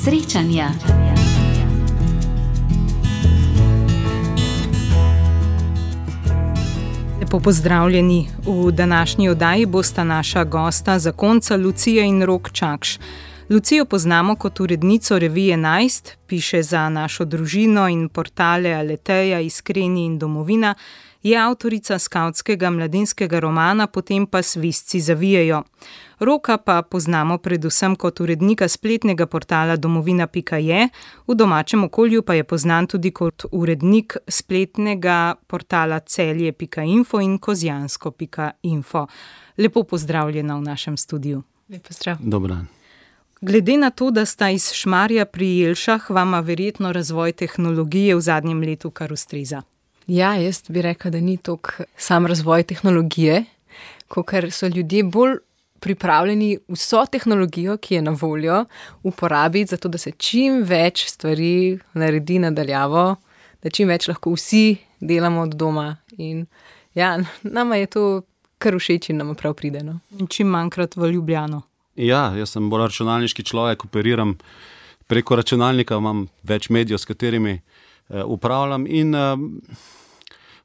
Srečanja. Lepo pozdravljeni. V današnji oddaji bosta naša gosta zakonca Lucija in Rok Čakš. Lucijo poznamo kot urednico revije 11, piše za Našo družino in portale Aleteja, Iskreni in Domovina, je avtorica skavtskega mladinskega romana, potem pa Svizci zavijejo. Roka pa poznamo predvsem kot urednika spletnega portala domovina.je, v domačem okolju pa je poznan tudi kot urednik spletnega portala celje.info in kozjansko.info. Lepo pozdravljena v našem studiu. Lep pozdrav. Dober dan. Glede na to, da sta iz Šmarja pri Jelšah, vama verjetno razvoj tehnologije v zadnjem letu kar ustreza. Ja, jaz bi rekla, da ni toliko sam razvoj tehnologije, kakor so ljudje bolj pripravljeni vso tehnologijo, ki je na voljo, uporabiti, zato da se čim več stvari naredi nadaljavo, da čim več lahko vsi delamo od doma. In ja, nama je to kar všeč in nama prav pride. No? In čim manjkrat v Ljubljano. Ja, jaz sem bolj računalniški človek, operiram preko računalnika, imam več medijev, s katerimi upravljam in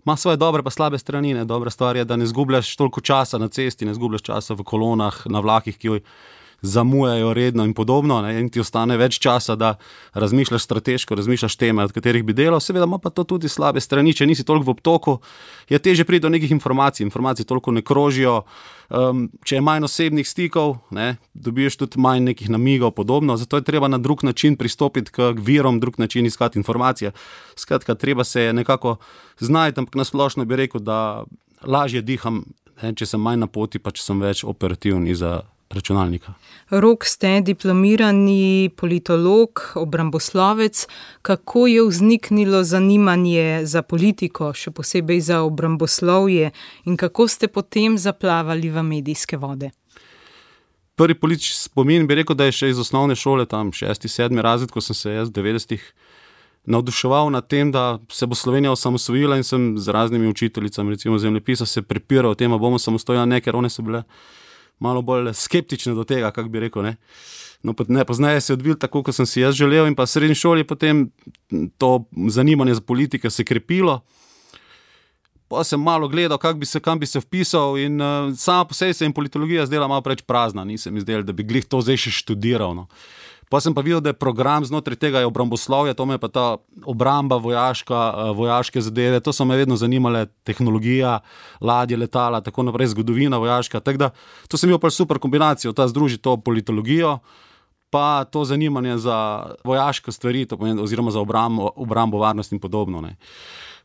ima svoje dobre pa slabe strani. Ne. Dobra stvar je, da ne zgubljaš toliko časa na cesti, ne zgubljaš časa v kolonah, na vlakih, ki zamujajo redno in podobno, ne, in ti ostane več časa, da razmišljaš strateško, razmišljaš teme, od katerih bi delal. Seveda ima pa to tudi slabe strani, če nisi toliko v obtoku, je težje priti do nekih informacij toliko ne krožijo, če je manj osebnih stikov, ne, dobiš tudi manj nekih namigov, podobno, zato je treba na drug način pristopiti k virom, drug način iskati informacije. Skratka, treba se nekako znajti, ampak na splošno bi rekel, da lažje diham, ne, če sem manj na poti, pa če sem več operativen iza računalnika. Rok, ste diplomirani politolog, obramboslovec. Kako je vzniknilo zanimanje za politiko, še posebej za obramboslovje, in kako ste potem zaplavali v medijske vode? Prvi politični spomin bi rekel, da je še iz osnovne šole, tam 6., 7. razred, ko sem se jaz v 90-ih navduševal nad tem, da se bo Slovenija osamosvojila, in sem z raznimi učiteljicami, recimo zemljepisa, se prepiral o tem, a bomo samostojni, ne, ker one so bile malo bolj skeptične do tega, kako bi rekel, ne. No, pozneje se je odvil tako, kot sem si jaz želel, in pa v srednji šoli potem to zanimanje za politike se krepilo. Pa sem malo gledal, kam bi se vpisal, in sama po sebi se jim politologija zdela malo preveč prazna, nisem izdelal, da bi glih to zdaj še študiral, no. Pa sem pa videl, da je program znotraj tega je obramboslovje, to me je pa ta obramba vojaške zadeve, to so me vedno zanimale, tehnologija, ladje, letala, tako naprej, zgodovina vojaška, tako da to sem imel pa super kombinacijo, ta združi to politologijo, pa to zanimanje za vojaške stvari, to pomeni, oziroma za obrambo, varnost in podobno, ne.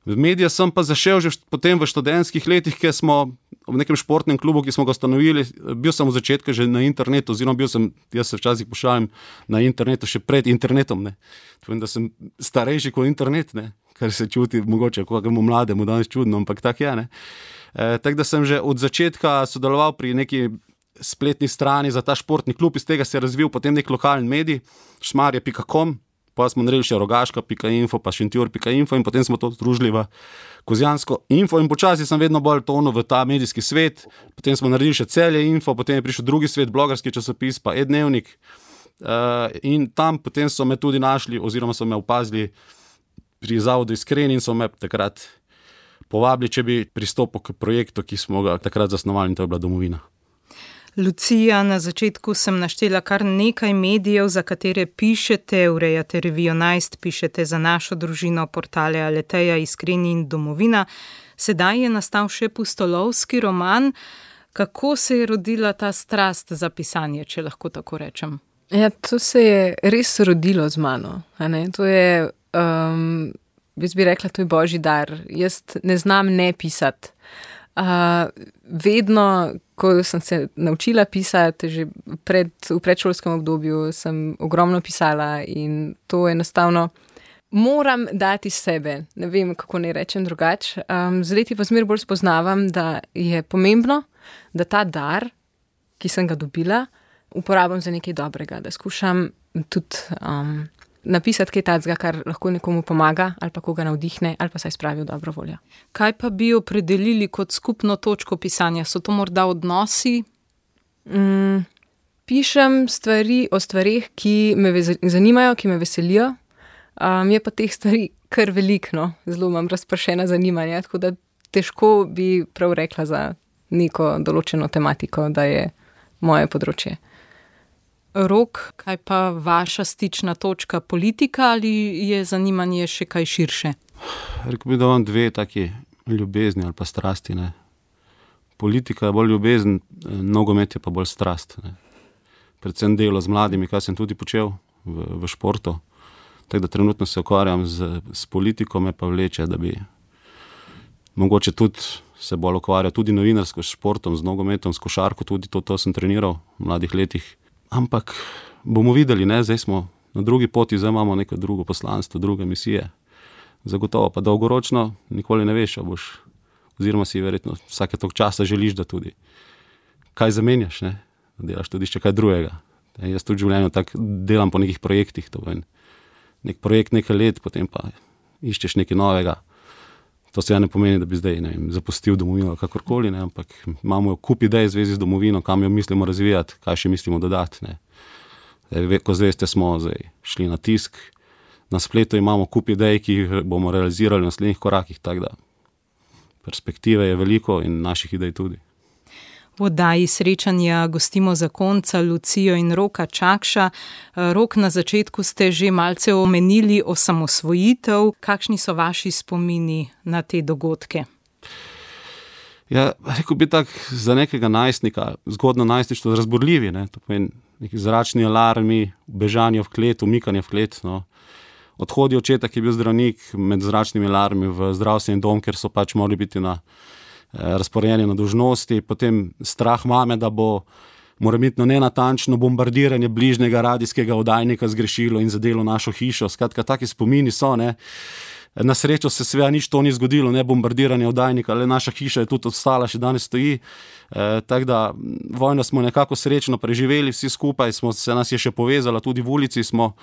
V medije sem pa zašel že potem v študentskih letih, ker smo v nekem športnem klubu, ki smo ga ustanovili, bil sem v začetku že na internetu, oziroma jaz se včasih pošalim na internetu še pred internetom, ne. Povem, da sem starejši kot internet, ne, kar se čuti mogoče kakemu mlademu danes čudno, ampak tak je, ne. Tako da sem že od začetka sodeloval pri neki spletni strani za ta športni klub, iz tega se je razvil potem nek lokalni medij, šmarje.com, pa smo naredili še rogaška.info, pa šentjur.info, in potem smo to združili v kozjansko.info, in počasi sem vedno bolj tonil v ta medijski svet. Potem smo naredili še celje.info, potem je prišel drugi svet, blogerski časopis, pa e-dnevnik, in tam potem so me tudi našli, oziroma so me opazili pri zavodu Iskreni, in so me takrat povabili, če bi pristopil k projektu, ki smo ga takrat zasnovali, in to je bila Domovina. Lucija, na začetku sem naštela kar nekaj medijev, za katere pišete, urejate revijo 11, pišete za Našo družino, portale Aleteja, Iskreni in Domovina. Sedaj je nastal še pustolovski roman. Kako se je rodila ta strast za pisanje, če lahko tako rečem? Ja, to se je res rodilo z mano. A ne? To je, jaz bi rekla, to je božji dar. Jaz ne znam ne pisati. Vedno, ko sem se naučila pisati, že v predšolskem obdobju sem ogromno pisala, in to enostavno moram dati sebe. Ne vem, kako ne rečem drugače. Z leti pa zmer bolj spoznavam, da je pomembno, da ta dar, ki sem ga dobila, uporabim za nekaj dobrega, da skušam tudi napisati kaj takega, kar lahko nekomu pomaga, ali pa koga navdihne, ali pa saj spravi v dobro voljo. Kaj pa bi opredelili kot skupno točko pisanja? So to morda odnosi? Pišem stvari o stvarih, ki me zanimajo, ki me veselijo. Je pa teh stvari kar veliko, zelo imam razpršena zanimanja, tako da težko bi prav rekla za neko določeno tematiko, da je moje področje. Rok, kaj pa vaša stična točka, politika ali je zanimanje še kaj širše? Rekel bi, da imam dve taki ljubezni ali pa strasti. Ne. Politika je bolj ljubezen, nogomet je pa bolj strast. Ne. Predvsem delo z mladimi, kar sem tudi počel v športu. Tako da trenutno se ukvarjam s politiko, me pa vleče, da bi mogoče tudi se bolj ukvarjal tudi novinarsko s športom, z nogometom, s košarko, tudi to sem treniral v mladih letih. Ampak bomo videli, ne? Zdaj smo na drugi poti, zdaj imamo neko drugo poslanstvo, druge misije. Zagotovo pa dolgoročno nikoli ne veš, oziroma si verjetno vsake toliko časa želiš, da tudi kaj zamenjaš, ne? Da delaš tudi še kaj drugega. Jaz tudi v življenju tako delam po nekih projektih, to je nek projekt nekaj let, potem pa iščeš nekaj novega. To se ne pomeni, da bi zdaj zapustil domovino kakorkoli, ne, ampak imamo kup idej v zvezi z domovino, kam jo mislimo razvijati, kaj še mislimo dodati. Ne. Ko zveste, smo zdaj šli na tisk, na spletu imamo kup idej, ki jih bomo realizirali v naslednjih korakih, tako da perspektive je veliko in naših idej tudi. V oddaji Srečanja gostimo zakonca Lucijo in Roka Čakša. Rok, na začetku ste že malce omenili osamosvojitev. Kakšni so vaši spomini na te dogodke? Ja, rekel bi tak za nekega najstnika, zgodno najstništvo, razburljivi, ne? To pomeni neki zračni alarmi, bežanje v klet, umikanje v klet, no. Odhodi očeta, ki je bil zdravnik, med zračnimi alarmi v zdravstveni dom, ker so pač morali biti razporejeni na dolžnosti, potem strah mame, da bo morebitno nenatančno bombardiranje bližnjega radijskega oddajnika zgrešilo in zadelo našo hišo. Skratka, taki spomini so, ne. Na srečo se seveda nič to ni zgodilo, ne bombardiranje oddajnika, le naša hiša je tudi ostala, še danes stoji. Tako da vojno smo nekako srečno preživeli vsi skupaj, nas je še povezala, tudi v ulici smo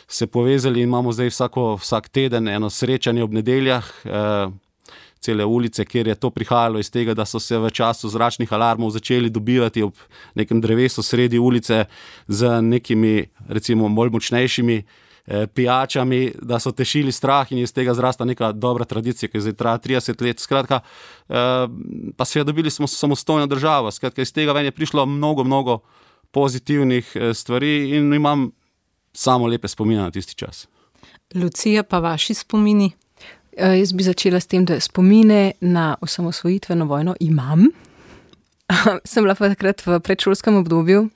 se povezali in imamo zdaj vsak teden eno srečanje ob nedeljah, cele ulice, kjer je to prihajalo iz tega, da so se v času zračnih alarmov začeli dobivati ob nekem drevesu sredi ulice z nekimi, recimo, bolj močnejšimi pijačami, da so tešili strah in iz tega zrasta neka dobra tradicija, ki zdaj traja 30 let. Skratka, pa seveda dobili smo samostojno državo. Skratka, iz tega ven je prišlo mnogo pozitivnih stvari in imam samo lepe spomine na tisti čas. Lucija, pa vaši spomini? Jaz bi začela s tem, da spomine na osamosvojitveno vojno imam. Sem bila pa takrat v predšolskem obdobju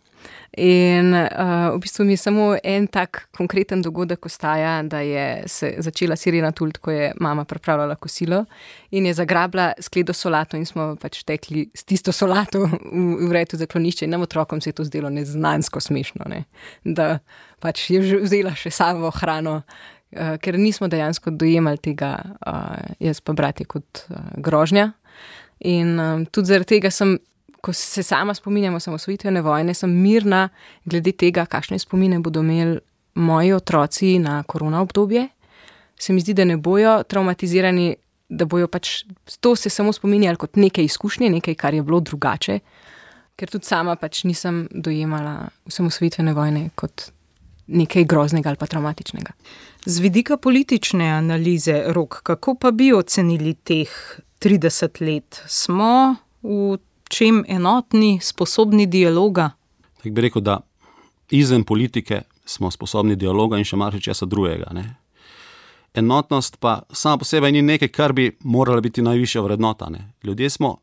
in v bistvu mi je samo en tak konkreten dogodek ostaja, da je se začela sirena tult, ko je mama pripravljala kosilo in je zagrabila skledo solato in smo pač tekli s tisto solato v redu zaklonišče in nam otrokom se je to zdelo neznansko smešno, ne? Da pač je vzela še samo hrano, ker nismo dejansko dojemali tega, jaz pa bratje, kot grožnja. In tudi zaradi tega ko se sama spominjam osamosvojitvene vojne, sem mirna glede tega, kakšne spomine bodo imeli moji otroci na korona obdobje. Se mi zdi, da ne bojo traumatizirani, da bojo pač to se samo spominjali kot neke izkušnje, nekaj, kar je bilo drugače, ker tudi sama pač nisem dojemala osamosvojitvene vojne kot nekaj groznega ali pa traumatičnega. Z vidika politične analize, Rok, kako pa bi ocenili teh 30 let? Smo v čem enotni, sposobni dialoga? Tako bi rekel, da izven politike smo sposobni dialoga in še marsičesa drugega, ne. Enotnost pa sama po sebi ni nekaj, kar bi morala biti najvišja vrednota, ne. Ljudje smo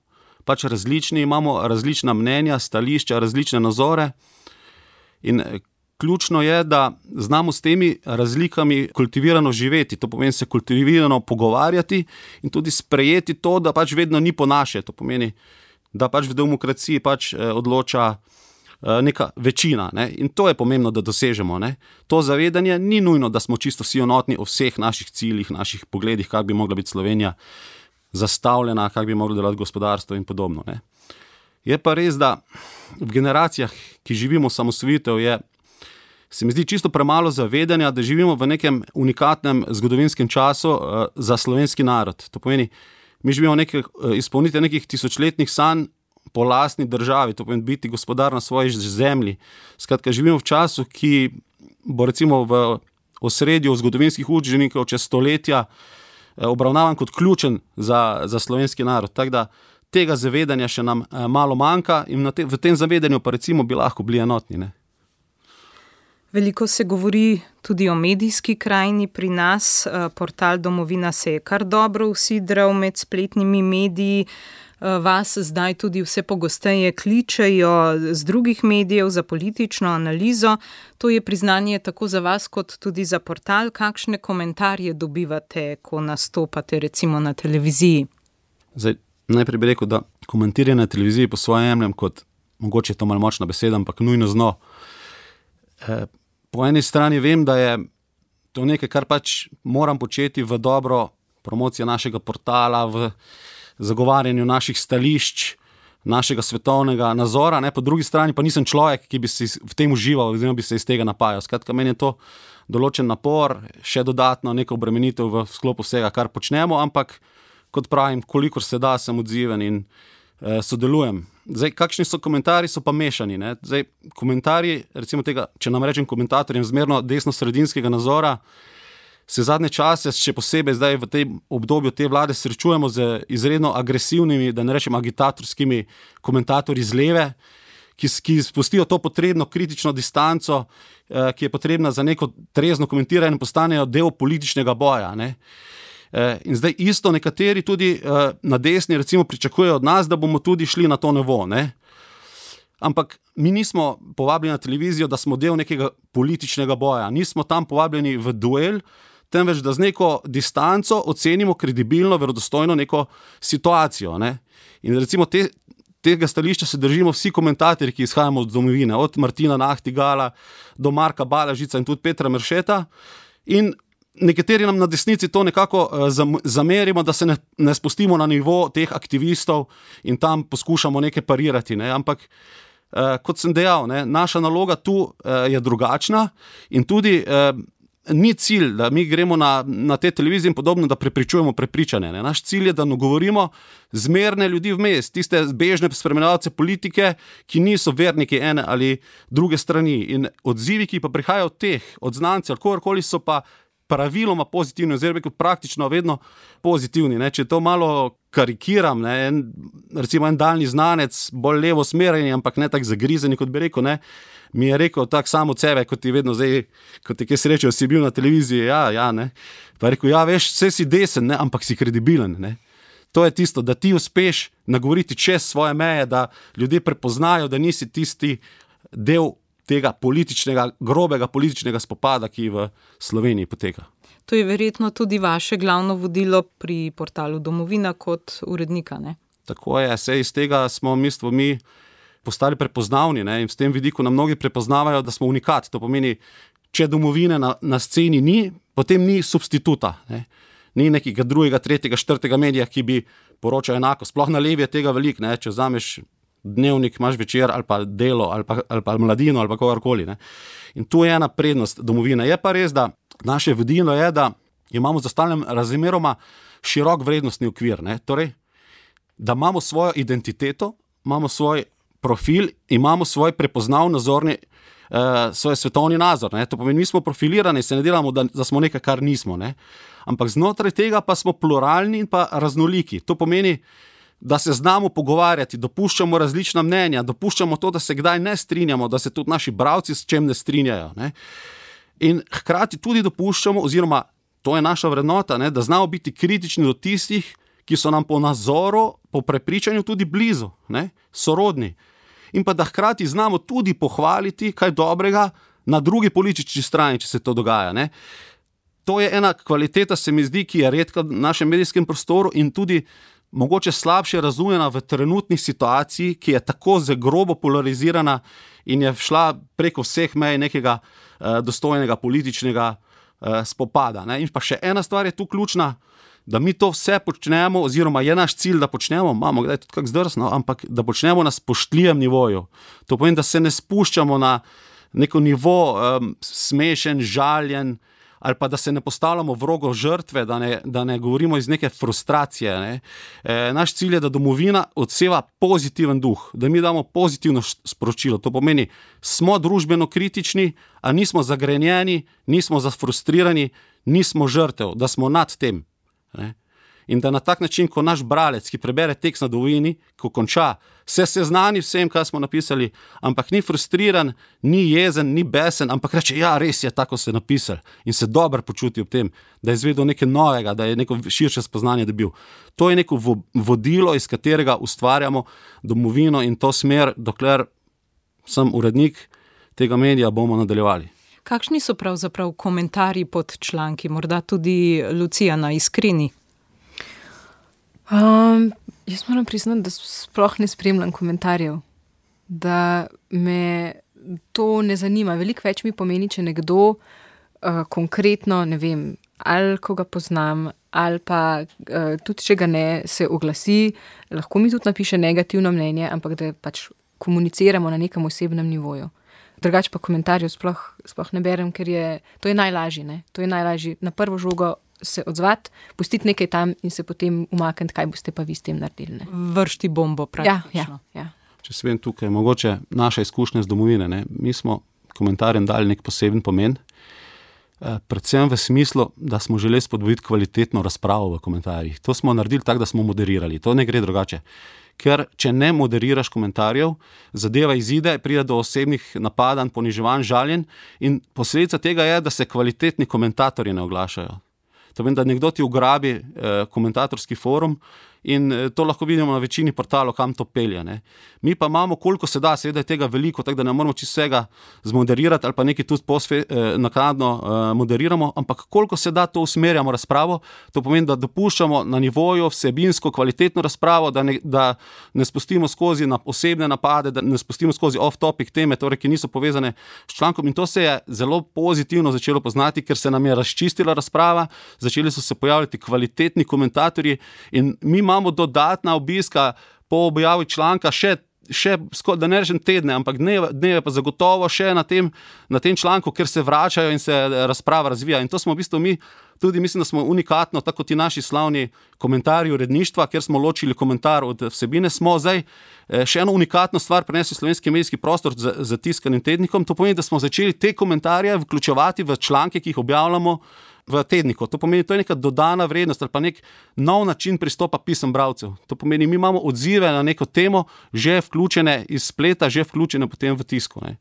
pač različni, imamo različna mnenja, stališča, različne nazore in ključno je, da znamo s temi razlikami kultivirano živeti, to pomeni se kultivirano pogovarjati in tudi sprejeti to, da pač vedno ni po naše, to pomeni, da pač v demokraciji pač odloča neka večina, ne? In to je pomembno, da dosežemo, ne? To zavedanje ni nujno, da smo čisto vsi enotni o vseh naših ciljih, naših pogledih, kako bi mogla biti Slovenija zastavljena, kako bi moglo delati gospodarstvo in podobno, ne? Je pa res, da v generacijah, ki živimo osamosvojitev, se mi zdi čisto premalo zavedanja, da živimo v nekem unikatnem zgodovinskem času za slovenski narod. To pomeni, mi živimo izpolnitev nekih tisočletnih sanj po lastni državi, to pomeni biti gospodar na svoji zemlji. Skratka, živimo v času, ki bo recimo v osredju zgodovinskih učbenikov čez stoletja obravnavan kot ključen za slovenski narod. Tako da tega zavedanja še nam malo manjka in v tem zavedanju pa recimo bi lahko bili enotni, ne? Veliko se govori tudi o medijski krajini pri nas. Portal Domovina se je kar dobro usidral med spletnimi mediji. Vas zdaj tudi vse pogosteje kličejo z drugih medijev za politično analizo. To je priznanje tako za vas kot tudi za portal. Kakšne komentarje dobivate, ko nastopate recimo na televiziji? Zdaj, najprej bi rekel, da komentiranje na televiziji po svojem jemljem kot, mogoče je to malo močna beseda, ampak nujno zno. Po eni strani vem, da je to nekaj, kar pač moram početi v dobro promocije našega portala, v zagovarjanju naših stališč, našega svetovnega nazora, ne? Po drugi strani pa nisem človek, ki bi si v tem užival, oziroma bi se iz tega napajal. Skratka, meni je to določen napor, še dodatno neko obremenitev v sklopu vsega, kar počnemo, ampak kot pravim, kolikor se da, sem odziven in sodelujem. Zdaj, kakšni so komentarji, so pa mešani, ne? Zdaj, komentarji, recimo tega, če nam rečem komentatorjem zmerno desno-sredinskega nazora, se zadnje čase, še posebej zdaj v tem obdobju te vlade, srečujemo z izredno agresivnimi, da ne rečem agitatorskimi komentatorji z leve, ki spustijo to potrebno kritično distanco, ki je potrebna za neko trezno komentiranje in postanejo del političnega boja, ne? In zdaj isto nekateri tudi na desni recimo pričakujejo od nas, da bomo tudi šli na to nivo, ne? Ampak mi nismo povabljeni na televizijo, da smo del nekega političnega boja, nismo tam povabljeni v duel, temveč da z neko distanco ocenimo kredibilno, verodostojno neko situacijo, ne? In recimo tega stališča se držimo vsi komentatorji, ki izhajamo od domovine, od Martina Nahtigala do Marka Balažica in tudi Petra Meršeta, in nekateri nam na desnici to nekako zamerimo, da se ne spustimo na nivo teh aktivistov in tam poskušamo nekaj parirati, ne? Ampak kot sem dejal, ne, naša naloga tu je drugačna in tudi ni cilj, da mi gremo na te televizije in podobno, da prepričujemo prepričane, ne? Naš cilj je, da govorimo zmerne ljudi vmes, tiste bežne spremljevalce politike, ki niso verniki ene ali druge strani, in odzivi, ki pa prihajajo od teh, od znancev, kogarkoli, so pa praviloma pozitivni, oziroma praktično vedno pozitivni, ne? Če to malo karikiram, ne? Recimo en daljni znanec, bolj levo smereni, ampak ne tak zagrizeni, kot bi rekel, ne? Mi je rekel tak sam od sebe, kot ti vedno zdaj, kot ti kaj srečo, si bil na televiziji, ja, ne? Pa je rekel, ja, veš, vse si desen, ne? Ampak si kredibilen, ne? To je tisto, da ti uspeš nagovoriti čez svoje meje, da ljudje prepoznajo, da nisi tisti del tega grobega političnega spopada, ki v Sloveniji poteka. To je verjetno tudi vaše glavno vodilo pri portalu Domovina kot urednika, ne? Tako je, saj iz tega smo mi postali prepoznavni, ne? In v tem vidiku nam mnogi prepoznavajo, da smo unikat. To pomeni, če Domovine na sceni ni, potem ni substituta, ne? Ni nekega drugega, tretjega, četrtega medija, ki bi poročal enako. Sploh na levi je tega veliko, ne? Če vzameš Dnevnik, imaš Večer ali pa Delo ali pa Mladino ali pa kogarkoli, ne? In tu je ena prednost Domovine. Je pa res, da naše vodilo je, da imamo zastavljen razmeroma širok vrednostni okvir, ne? Torej, da imamo svojo identiteto, imamo svoj profil, imamo svoj prepoznav nazorni, svoj svetovni nazor, ne? To pomeni, mi smo profilirani, se ne delamo, da smo nekaj, kar nismo, ne? Ampak znotraj tega pa smo pluralni in pa raznoliki. To pomeni, da se znamo pogovarjati, dopuščamo različna mnenja, dopuščamo to, da se kdaj ne strinjamo, da se tudi naši bralci s čem ne strinjajo, ne? In hkrati tudi dopuščamo, oziroma to je naša vrednota, ne, da znamo biti kritični do tistih, ki so nam po nazoru, po prepričanju tudi blizu, ne, sorodni. In pa da hkrati znamo tudi pohvaliti kaj dobrega na drugi politični strani, če se to dogaja, ne. To je ena kvaliteta, se mi zdi, ki je redka v našem medijskem prostoru in tudi mogoče slabše razumljena v trenutni situaciji, ki je tako grobo polarizirana in je šla preko vseh mej nekega dostojnega političnega spopada, ne. In pa še ena stvar je tu ključna, da mi to vse počnemo, oziroma je naš cilj, da počnemo, imamo kdaj tudi kak zdrsno, ampak da počnemo na spoštljivem nivoju. To pomeni, da se ne spuščamo na neko nivo smešen, žaljen ali pa da se ne postavljamo v rogo žrtve, da ne govorimo iz neke frustracije. Ne. Naš cilj je, da domovina odseva pozitiven duh, da mi damo pozitivno sporočilo. To pomeni, smo družbeno kritični, a nismo zagrenjeni, nismo zafrustrirani, nismo žrtev, da smo nad tem. Ne. In da na tak način, ko naš bralec, ki prebere tekst na domovini, ko konča, se seznani vsem, kaj smo napisali, ampak ni frustriran, ni jezen, ni besen, ampak reče, ja, res je, tako se napisal in se dobro počuti ob tem, da je izvedel nekaj novega, da je neko širše spoznanje dobil. To je neko vodilo, iz katerega ustvarjamo domovino in to smer, dokler sem urednik tega medija, bomo nadaljevali. Kakšni so pravzaprav komentarji pod članki, morda tudi Lucija na Iskreni? Jaz moram priznati, da sploh ne spremljam komentarjev, da me to ne zanima. Veliko več mi pomeni, če nekdo konkretno, ne vem, ali ko ga poznam, ali pa tudi, če ga ne, se oglasi, lahko mi tudi napiše negativno mnenje, ampak da pač komuniciramo na nekem osebnem nivoju. Drugače pa komentarjev sploh ne berem, ker to je najlažje, ne? To je najlažje na prvo žogo se odzvati, pustiti nekaj tam in se potem umakniti, kaj boste pa vi s tem naredili. Ne? Vršti bombo praktično. Ja. Če se vem tukaj, mogoče naša izkušnja z domovine, ne? Mi smo komentarjem dali nek poseben pomen, predvsem v smislu, da smo želeli spodbuditi kvalitetno razpravo v komentarjih. To smo naredili tako, da smo moderirali. To ne gre drugače. Ker če ne moderiraš komentarjev, zadeva izide, pride do osebnih napadanj, poniževanj, žaljenj in posledica tega je, da se kvalitetni komentatorji ne oglašajo. To pomeni, da nekdo ti ugrabi komentatorski forum in to lahko vidimo na večini portalov, kam to pelje. Ne. Mi pa imamo, koliko se da, seveda je tega veliko, tako da ne moramo čisto vsega zmoderirati ali pa nekaj tudi naknadno moderiramo, ampak koliko se da, to usmerjamo razpravo. To pomeni, da dopuščamo na nivoju vsebinsko kvalitetno razpravo, da ne spustimo skozi na osebne napade, da ne spustimo skozi off-topic teme, torej, ki niso povezane s člankom. In to se je zelo pozitivno začelo poznati, ker se nam je razčistila razprava, začeli so se pojavljati kvalitetni komentatorji in mi imamo dodatna obiska po objavi članka še da ne rečem tedne, ampak dneve pa zagotovo še na tem članku, ker se vračajo in se razprava razvija. In to smo v bistvu mi tudi, mislim, da smo unikatno, tako ti naši slavni komentarji uredništva, kjer smo ločili komentar od vsebine, smo zdaj še eno unikatno stvar prenesli v slovenski medijski prostor z tiskanim tednikom. To pomeni, da smo začeli te komentarje vključevati v članke, ki jih objavljamo v tedniku. To pomeni, to je neka dodana vrednost ali pa nek nov način pristopa pisem bralcev. To pomeni, mi imamo odzive na neko temo že vključene iz spleta, že vključene potem v tisku. Ne.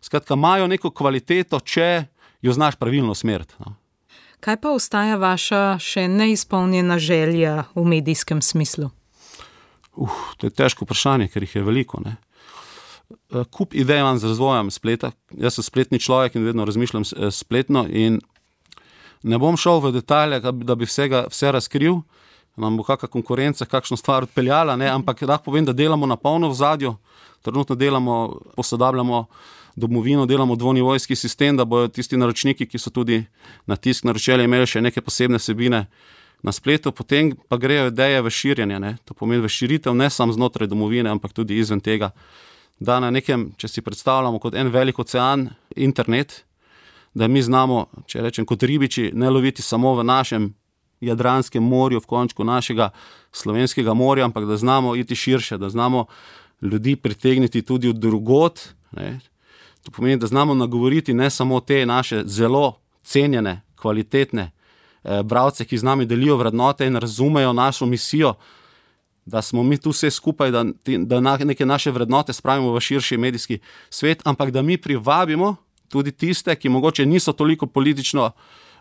Skratka, imajo neko kvaliteto, če jo znaš pravilno usmeriti. No. Kaj pa ostaja vaša še neizpolnjena želja v medijskem smislu? To je težko vprašanje, ker jih je veliko. Ne. Kup idej imam z razvojem spleta. Jaz sem spletni človek in vedno razmišljam spletno in ne bom šel v detalje, da bi vse razkril, nam bo kakšna konkurenca, kakšno stvar odpeljala, ne? Ampak lahko povem, da delamo na polno v zadju, trenutno posodabljamo domovino, delamo dvonivojski sistem, da bojo tisti naročniki, ki so tudi na tisk naročili, imeli še neke posebne vsebine na spletu, potem pa grejo ideje v širjenje, ne? To pomeni v širitev ne samo znotraj domovine, ampak tudi izven tega, da na nekem, če si predstavljamo kot en velik ocean, internet, da mi znamo, če rečem kot ribiči, ne loviti samo v našem Jadranskem morju, v končku našega slovenskega morja, ampak da znamo iti širše, da znamo ljudi pritegniti tudi od drugot. Ne. To pomeni, da znamo nagovoriti ne samo te naše zelo cenjene, kvalitetne bralce, ki z nami delijo vrednote in razumejo našo misijo, da smo mi tu vse skupaj, da neke naše vrednote spravimo v širši medijski svet, ampak da mi privabimo tudi tiste, ki mogoče niso toliko politično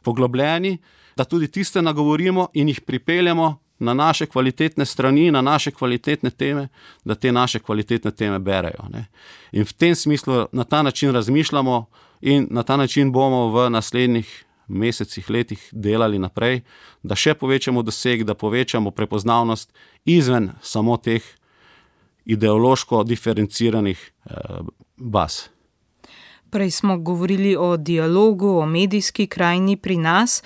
poglobljeni, da tudi tiste nagovorimo in jih pripeljemo na naše kvalitetne strani, na naše kvalitetne teme, da te naše kvalitetne teme berejo. Ne. In v tem smislu na ta način razmišljamo in na ta način bomo v naslednjih mesecih, letih delali naprej, da še povečamo doseg, da povečamo prepoznavnost izven samo teh ideološko diferenciranih baz. Prej smo govorili o dialogu, o medijski krajini pri nas.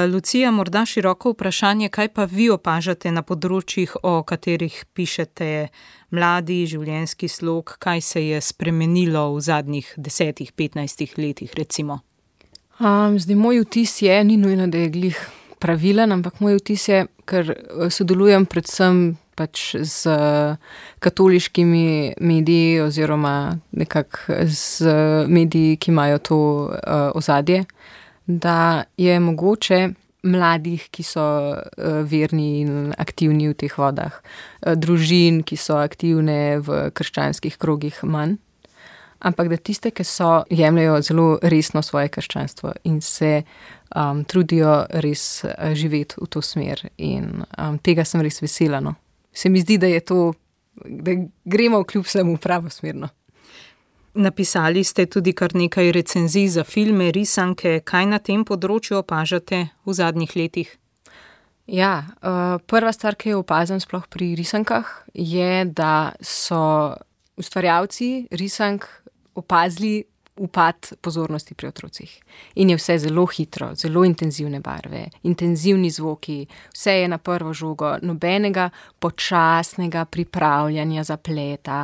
Lucija, morda široko vprašanje, kaj pa vi opažate na področjih, o katerih pišete, mladi, življenjski slog, kaj se je spremenilo v zadnjih 10-15 letih recimo? Zdaj, moj vtis je, ni nujno, da je glih pravilen, ampak moj vtis je, ker sodelujem predvsem pač z katoliškimi mediji oziroma nekako z mediji, ki imajo to ozadje, da je mogoče mladih, ki so verni in aktivni v teh vodah, družin, ki so aktivne v krščanskih krogih, manj. Ampak da tiste, ki so, jemljajo zelo resno svoje krščanstvo in se trudijo res živeti v to smer. In tega sem res vesela. No. Se mi zdi, da je to, da gremo kljub vsemu pravo smerno. Napisali ste tudi kar nekaj recenzij za filme, risanke. Kaj na tem področju opažate v zadnjih letih? Ja, prva stvar, ki jo opazim sploh pri risankah, je, da so ustvarjalci risank opazili upad pozornosti pri otrocih. In je vse zelo hitro, zelo intenzivne barve, intenzivni zvoki, vse je na prvo žogo, nobenega počasnega pripravljanja zapleta,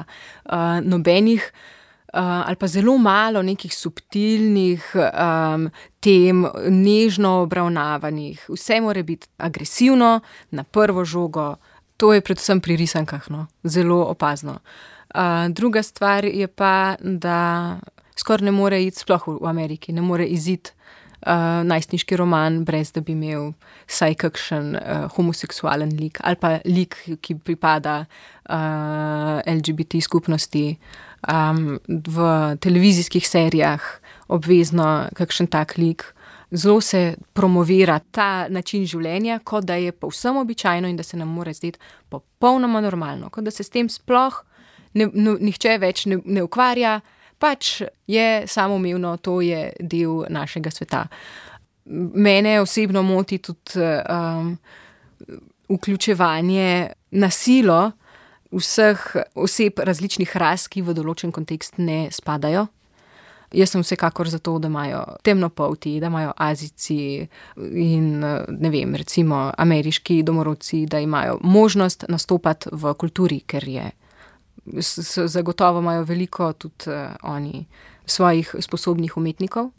nobenih ali pa zelo malo nekih subtilnih tem, nežno obravnavanih. Vse mora biti agresivno, na prvo žogo. To je predvsem pri risankah, no, zelo opazno. Druga stvar je pa, da skoraj ne more iti, sploh v Ameriki, ne more iziti najstniški roman, brez da bi imel vsaj kakšen homoseksualen lik ali pa lik, ki pripada LGBT skupnosti. V televizijskih serijah obvezno kakšen tak lik. Zelo se promovira ta način življenja, kot da je povsem običajno in da se nam mora zdeti popolnoma normalno, kot da se s tem sploh nihče več ne ukvarja, pač je samoumevno, to je del našega sveta. Mene osebno moti tudi vključevanje na silo vseh oseb različnih ras, ki v določen kontekst ne spadajo. Jaz sem vsekakor za to, da imajo temnopolti, da imajo Azijci in ne vem, recimo ameriški domorodci, da imajo možnost nastopati v kulturi, ker je zagotovo imajo veliko tudi oni svojih sposobnih umetnikov,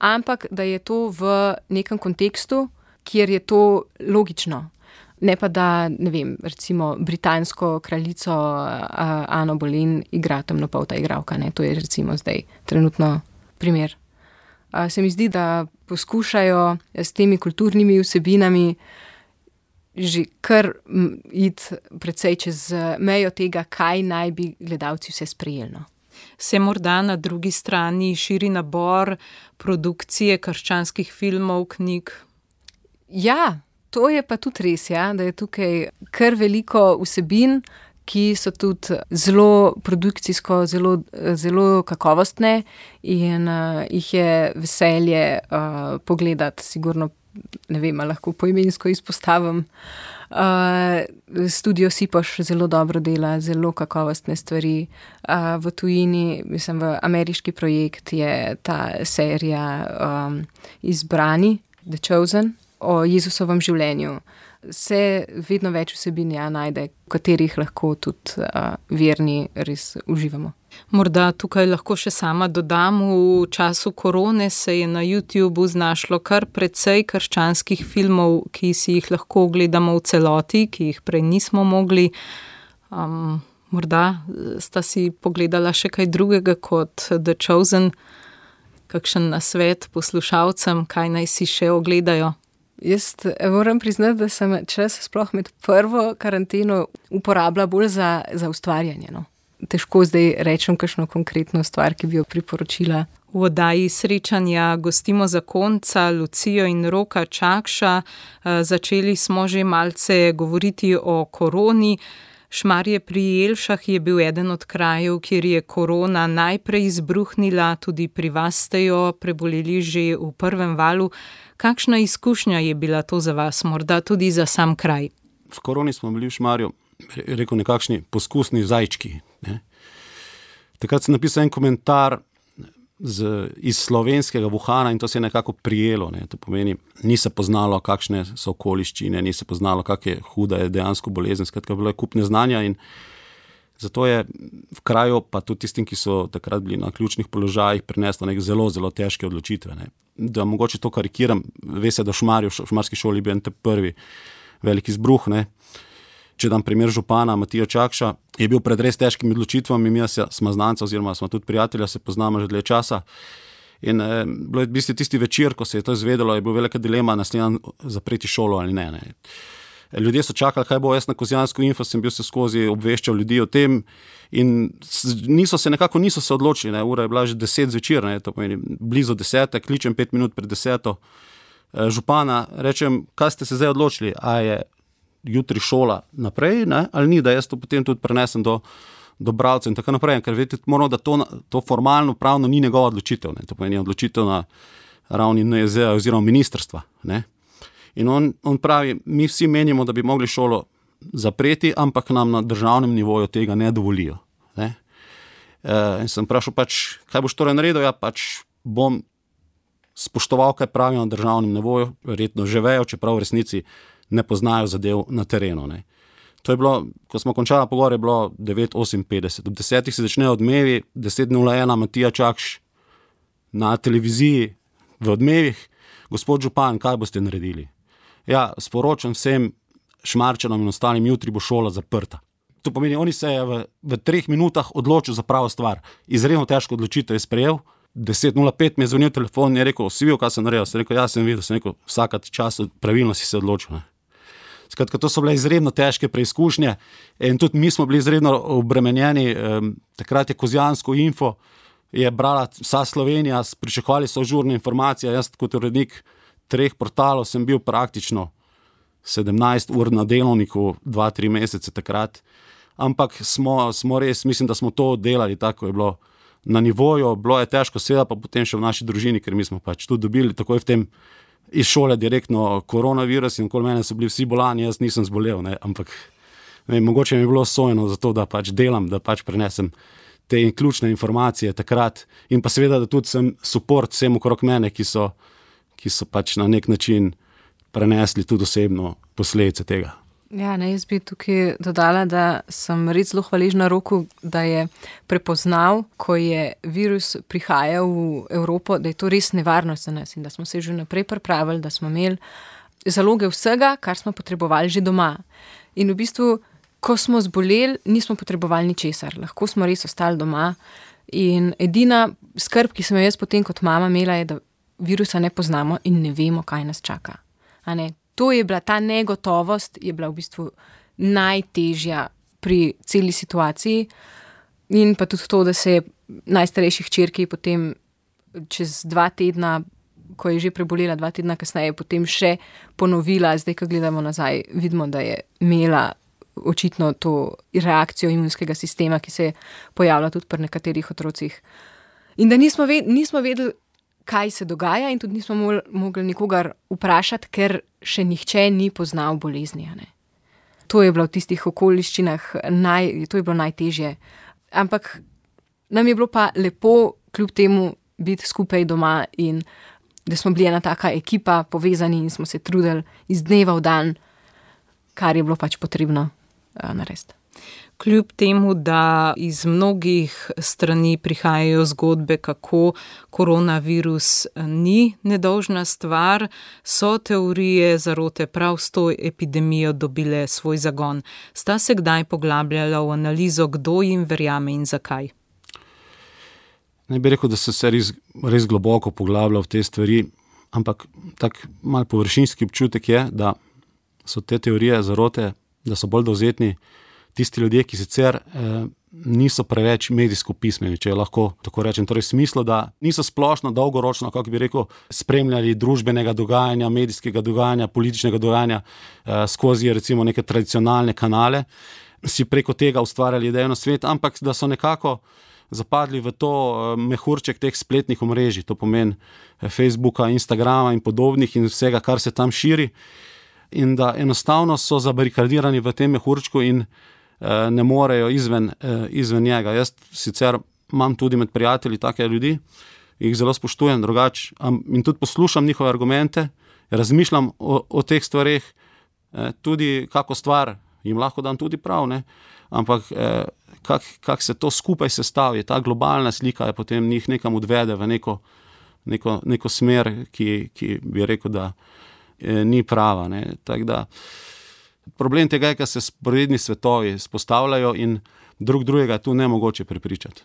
ampak da je to v nekem kontekstu, kjer je to logično. Ne pa da, ne vem, recimo britansko kraljico Ano Boleyn igra temnopolta igralka, ne, to je recimo zdaj trenutno primer. Se mi zdi, da poskušajo s temi kulturnimi vsebinami že kar iti precej čez mejo tega, kaj naj bi gledalci vse sprejeli. No. Se morda na drugi strani širi nabor produkcije krščanskih filmov, knjig? Ja, to je pa tudi res, ja, da je tukaj kar veliko vsebin, ki so tudi zelo produkcijsko, zelo kakovostne in jih je veselje pogledati, sigurno. Ne vem, lahko poimensko izpostavim. Studio Sipoš zelo dobro dela, zelo kakovostne stvari. V tujini, mislim, v ameriški projekt je ta serija Izbrani, The Chosen, o Jezusovem življenju. Se vedno več vsebin najde, v katerih lahko tudi verni res uživamo. Morda tukaj lahko še sama dodam, v času korone se je na YouTubu znašlo kar precej krščanskih filmov, ki si jih lahko ogledamo v celoti, ki jih prej nismo mogli. Morda sta si pogledala še kaj drugega kot The Chosen, kakšen nasvet poslušalcem, kaj naj si še ogledajo? Jaz moram priznati, da sem čas sploh med prvo karanteno uporabila bolj za ustvarjanje, no. Težko zdaj rečem kakšno konkretno stvar, ki bi jo priporočila. V oddaji Srečanja gostimo zakonca Lucijo in Roka Čakša. Začeli smo že malce govoriti o koroni. Šmarje pri Jelšah je bil eden od krajev, kjer je korona najprej izbruhnila, tudi pri vas ste jo preboleli že v prvem valu. Kakšna izkušnja je bila to za vas, morda tudi za sam kraj? V koroni smo bili v Šmarju, rekel nekakšni poskusni zajčki. Ne? Takrat sem napisal en komentar iz slovenskega Wuhana in to se je nekako prijelo. Ne? To pomeni, ni se poznalo, kakšne so okoliščine, ni se poznalo, kak je huda je dejansko bolezen, skratka bilo je kup neznanja in Zato je v kraju, pa tudi tistim, ki so takrat bili na ključnih položajih, prineslo nek zelo, zelo težke odločitve. Ne. Da mogoče to karikiram, ve se, da v šumarski šoli bil en te prvi veliki izbruh. Ne. Če dam primer župana Matija Čakša, je bil pred res težkimi odločitvami, mi smo znanca oziroma smo tudi prijatelja, se poznamo že dlje časa. In bilo je v bistvu tisti večer, ko se je to izvedelo, je bila velika dilema naslednji zapreti šolo ali ne. Ljudje so čakali, kaj bo. Jaz na Kozjansko info sem bil se skozi obveščal ljudi o tem in niso se odločili. Ne. Ura je bila že 10 zvečer, ne. To pomeni blizu 10, kličem 5 minut pred 10. Župana, rečem, kaj ste se zdaj odločili, a je jutri šola naprej, ne, ali ni, da jaz to potem tudi prenesem do bralcev in tako naprej, ker vedeti moramo, da to formalno pravno ni njegova odločitev, ne. To pomeni odločitev na ravni NIJZ oziroma ministrstva, ne. In on pravi, mi vsi menimo, da bi mogli šolo zapreti, ampak nam na državnem nivoju tega ne dovolijo, ne. In sem vprašal pač, kaj boš torej naredil, ja pač bom spoštoval, kaj pravijo na državnem nivoju, verjetno že vejo, čeprav v resnici ne poznajo zadev na terenu, ne. To je bilo, ko smo končali pogovor, je bilo 9:58. Ob 10 se začnejo odmevi, 10:01 Matija Čakš na televiziji v odmevih. Gospod župan, kaj boste naredili? Ja, sporočam vsem Šmarčanom in ostalim, jutri bo šola zaprta. To pomeni, oni se je v 3 minutah odločil za pravo stvar. Izredno težko odločitev je sprejel. 10:05 mi je zvonil telefon in je rekel, si videl, kaj sem naredil? Sem rekel, ja, sem videl, sem rekel, vsaka čas pravilno si se odločil, ne. Skratka, to so bile izredno težke preizkušnje in tudi mi smo bili izredno obremenjeni. Takrat je Kozjansko info je brala vsa Slovenija, pričakovali so žurne informacije. Jaz kot urednik 3 portalov sem bil praktično 17 ur na delovniku 2-3 mesece takrat, ampak smo res, mislim, da smo to delali tako, je bilo na nivoju, bilo je težko, seveda pa potem še v naši družini, ker mi smo pač tudi dobili takoj v tem iz šole direktno koronavirus in okoli mene so bili vsi bolani, jaz nisem zbolel, ne, ampak mogoče mi je bilo sojeno za to, da pač delam, da pač prenesem te ključne informacije takrat in pa seveda, da tudi sem support vsem okrog mene, ki so pač na nek način prenesli tudi osebno posledice tega. Ja, ne, jaz bi tukaj dodala, da sem res zelo hvaležna Roku, da je prepoznal, ko je virus prihajal v Evropo, da je to res nevarnost za nas in da smo se že naprej pripravili, da smo imeli zaloge vsega, kar smo potrebovali že doma. In v bistvu, ko smo zboleli, nismo potrebovali ničesar, lahko smo res ostali doma. In edina skrb, ki sem jo jaz potem kot mama imela, je, da virusa ne poznamo in ne vemo, kaj nas čaka. A ne? To je bila, ta negotovost je bila v bistvu najtežja pri celi situaciji in pa tudi to, da se je najstarejši hčerki potem čez 2 tedna, ko je že prebolela 2 tedna kasneje, potem še ponovila. Zdaj, ko gledamo nazaj, vidimo, da je imela očitno to reakcijo imunskega sistema, ki se je pojavila tudi pri nekaterih otrocih. In da nismo vedeli, kaj se dogaja in tudi nismo mogli nikogar vprašati, ker še nihče ni poznal bolezni. Ne. To je bilo v tistih okoliščinah, to je bilo najtežje. Ampak nam je bilo pa lepo kljub temu biti skupaj doma in da smo bili ena taka ekipa, povezani in smo se trudili iz dneva v dan, kar je bilo pač potrebno narediti. Kljub temu, da iz mnogih strani prihajajo zgodbe, kako koronavirus ni nedolžna stvar, so teorije zarote prav s to epidemijo dobile svoj zagon. Sta se kdaj poglabljala v analizo, kdo jim verjame in zakaj? Ne bi rekel, da so se res globoko poglabljali v te stvari, ampak tak mal površinski občutek je, da so te teorije zarote, da so bolj dovzetni tisti ljudje, ki sicer niso preveč medijsko pismeni, če lahko tako rečem, torej v smislu, da niso splošno, dolgoročno, kako bi rekel, spremljali družbenega dogajanja, medijskega dogajanja, političnega dogajanja skozi recimo neke tradicionalne kanale, si preko tega ustvarjali idejno svet, ampak da so nekako zapadli v to mehurček teh spletnih omrežij, to pomeni Facebooka, Instagrama in podobnih in vsega, kar se tam širi, in da enostavno so zabarikadirani v tem mehurčku in ne morejo izven njega. Jaz sicer imam tudi med prijatelji take ljudi, jih zelo spoštujem drugače in tudi poslušam njihove argumente, razmišljam o teh stvareh, tudi kako stvar jim lahko dam tudi prav, ne? Ampak kako se to skupaj sestavi, ta globalna slika je potem njih nekam odvede v neko smer, ki bi rekel, da ni prava. Ne? Tako da problem tega je, ker se sporedni svetovi spostavljajo in drugega tu nemogoče prepričati.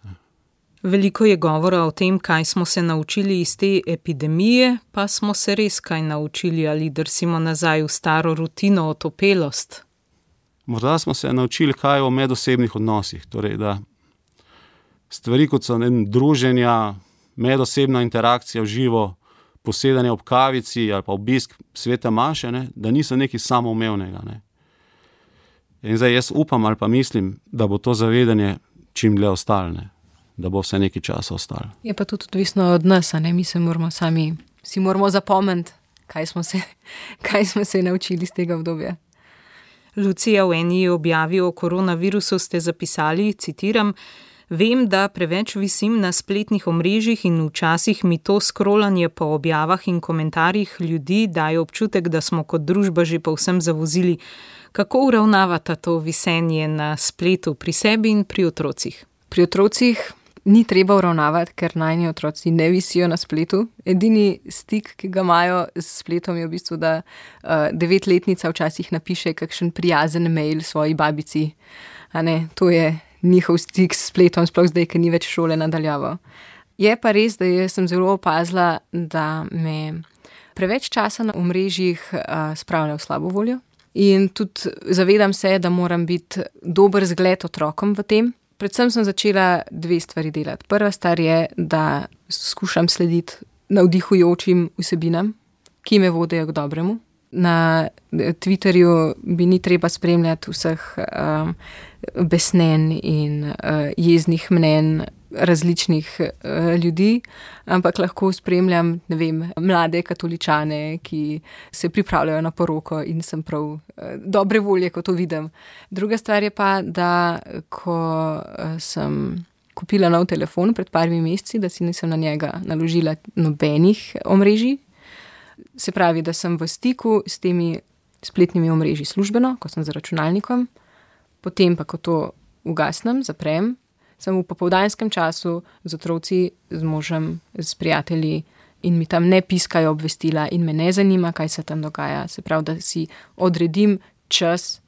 Veliko je govora o tem, kaj smo se naučili iz te epidemije, pa smo se res kaj naučili ali drsimo nazaj v staro rutino, otopelost. Morda smo se naučili kaj o medosebnih odnosih, torej da stvari kot so druženja, medosebna interakcija v živo, posedanje ob kavici ali pa obisk svete maše, ne, da niso nekaj samoumevnega. Ne. In zdaj jaz upam ali pa mislim, da bo to zavedanje čim dlje ostalo, ne, da bo vse nekaj časa ostalo. Je pa tudi odvisno od nas, a ne, mi se moramo si moramo zapomniti, kaj smo se naučili iz tega obdobja. Lucija, v eni objavi o koronavirusu ste zapisali, citiram, vem, da preveč visim na spletnih omrežjih in včasih mi to scrollanje po objavah in komentarjih ljudi daje občutek, da smo kot družba že povsem zavozili. Kako uravnavata to visenje na spletu pri sebi in pri otrocih? Pri otrocih ni treba uravnavati, ker najni otroci ne visijo na spletu. Edini stik, ki ga imajo s spletom, je v bistvu, da 9-letnica včasih napiše kakšen prijazen mail svoji babici. A ne, to je njihov stik s spletom, sploh zdaj, ker ni več šole nadaljavo. Je pa res, da jaz sem zelo opazila, da me preveč časa na omrežjih spravlja v slabo voljo. In tudi zavedam se, da moram biti dober zgled otrokom v tem. Predvsem sem začela 2 stvari delati. Prva stvar je, da skušam slediti navdihujočim vsebinam, ki me vodijo k dobremu. Na Twitterju bi ni treba spremljati vseh besnen in jeznih mnenj različnih ljudi, ampak lahko spremljam, ne vem, mlade katoličane, ki se pripravljajo na poroko in sem prav dobre volje, ko to vidim. Druga stvar je pa, da ko sem kupila nov telefon pred parimi meseci, da si nisem na njega naložila nobenih omrežij, se pravi, da sem v stiku s temi spletnimi omrežji službeno, ko sem za računalnikom, potem pa, ko to ugasnem, zaprem, sem v popoldanskem času z otroci, z možem, s prijatelji in mi tam ne piskajo obvestila in me ne zanima, kaj se tam dogaja. Se pravi, da si odredim čas,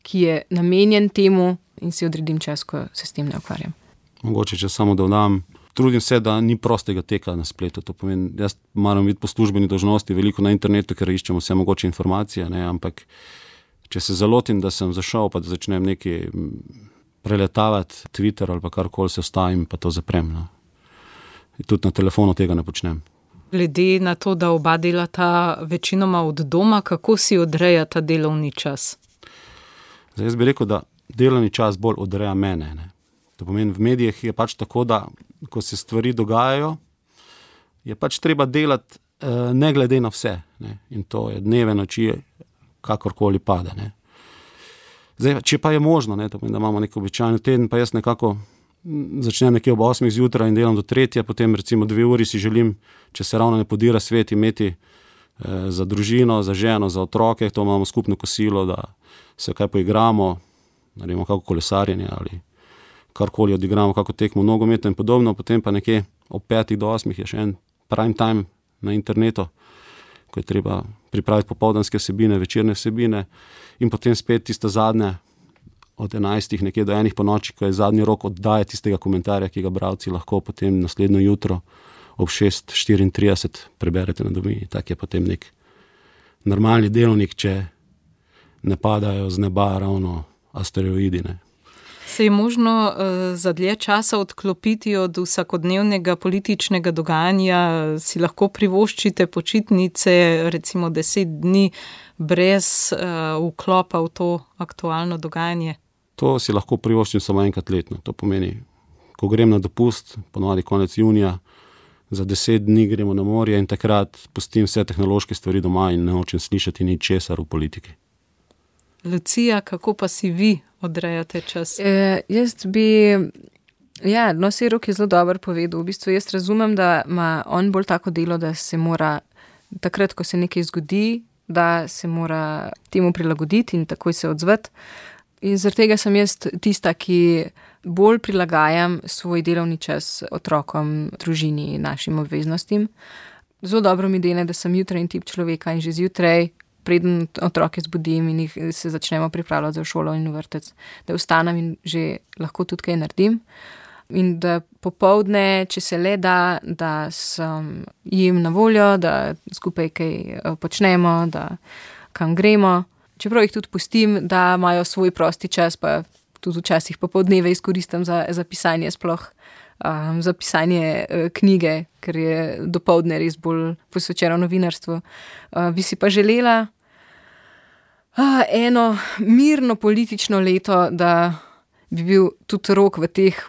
ki je namenjen temu in si odredim čas, ko se s tem ne ukvarjam. Mogoče, če samo dodam, trudim se, da ni prostega teka na spletu. To pomeni, jaz moram biti po službeni dolžnosti veliko na internetu, ker iščemo vse mogoče informacije, ne, ampak če se zalotim, da sem zašel, pa da začnem nekaj preletavati Twitter ali pa karkoli, se vstavim pa to zaprem. No. Tudi na telefonu tega ne počnem. Glede na to, da oba delata večinoma od doma, kako si odrejata delovni čas? Zdaj, jaz bi rekel, da delovni čas bolj odreja mene. Ne. To pomeni, v medijih je pač tako, da ko se stvari dogajajo, je pač treba delati ne glede na vse. Ne. In to je dneve, noči, kakorkoli pada. Ne. Zdaj, če pa je možno, ne, to pomeni, da imamo nek običajni teden, pa jaz nekako začnem nekje ob 8 zjutraj in delam do 3, potem recimo 2 uri si želim, če se ravno ne podira svet, imeti za družino, za ženo, za otroke, to imamo skupno kosilo, da se kaj poigramo, naredimo kako kolesarjenje ali karkoli odigramo, kako tekmo nogometno in podobno, potem pa nekje ob 5 do 8 je še en prime time na internetu, ko je treba pripraviti popoldanske vsebine, večerne vsebine in potem spet tista zadnja od 11 nekje do 1 po noči, ko je zadnji rok oddaje tistega komentarja, ki ga bralci lahko potem naslednjo jutro ob 6:34 preberete na dobi. Tak je potem nek normalni delovnik, če ne padajo z neba ravno asteroidi, ne. Se je možno za dlje časa odklopiti od vsakodnevnega političnega dogajanja, si lahko privoščite počitnice, recimo 10 dni, brez vklopa v to aktualno dogajanje? To si lahko privoščim samo enkrat letno. To pomeni, ko grem na dopust, ponovadi konec junija, za 10 dni gremo na morje in takrat pustim vse tehnološke stvari doma in ne hočem slišati ničesar v politiki. Lucija, kako pa si vi odrejate čas? Jaz bi, Rok je zelo dobro povedal. V bistvu jaz razumem, da ima on bolj tako delo, da se mora takrat, ko se nekaj zgodi, da se mora temu prilagoditi in takoj se odzvati. In zaradi tega sem jaz tista, ki bolj prilagajam svoj delovni čas otrokom, družini, našim obveznostim. Zelo dobro mi dene, da sem jutranji tip človeka in že zjutraj, preden otroke zbudim in jih se začnemo pripravljati za šolo in vrtec, da vstanem in že lahko tudi kaj naredim. In da popoldne, če se le da, da sem jim na voljo, da skupaj kaj počnemo, da kam gremo. Čeprav jih tudi pustim, da imajo svoj prosti čas, pa tudi včasih popoldneve izkoristim za pisanje sploh, za pisanje knjige, ker je dopoldne res bolj posvečeno novinarstvu. Bi si pa želela eno mirno politično leto, da bi bil tudi Rok v teh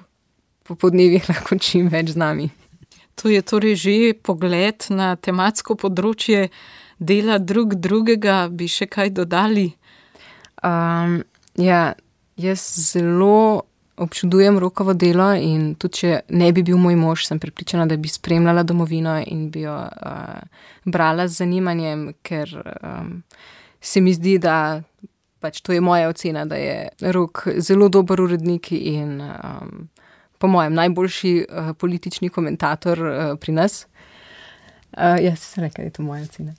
popoldnevih lahko čim več z nami. To je torej že pogled na tematsko področje dela drugega, bi še kaj dodali? Ja, jaz zelo občudujem Rokovo delo in tudi če ne bi bil moj mož, sem prepričana, da bi spremljala domovino in bi jo brala z zanimanjem, ker se mi zdi, da pač to je moja ocena, da je Rok zelo dober urednik in po mojem najboljši politični komentator pri nas. Jaz sem rekla, da je to moja ocena.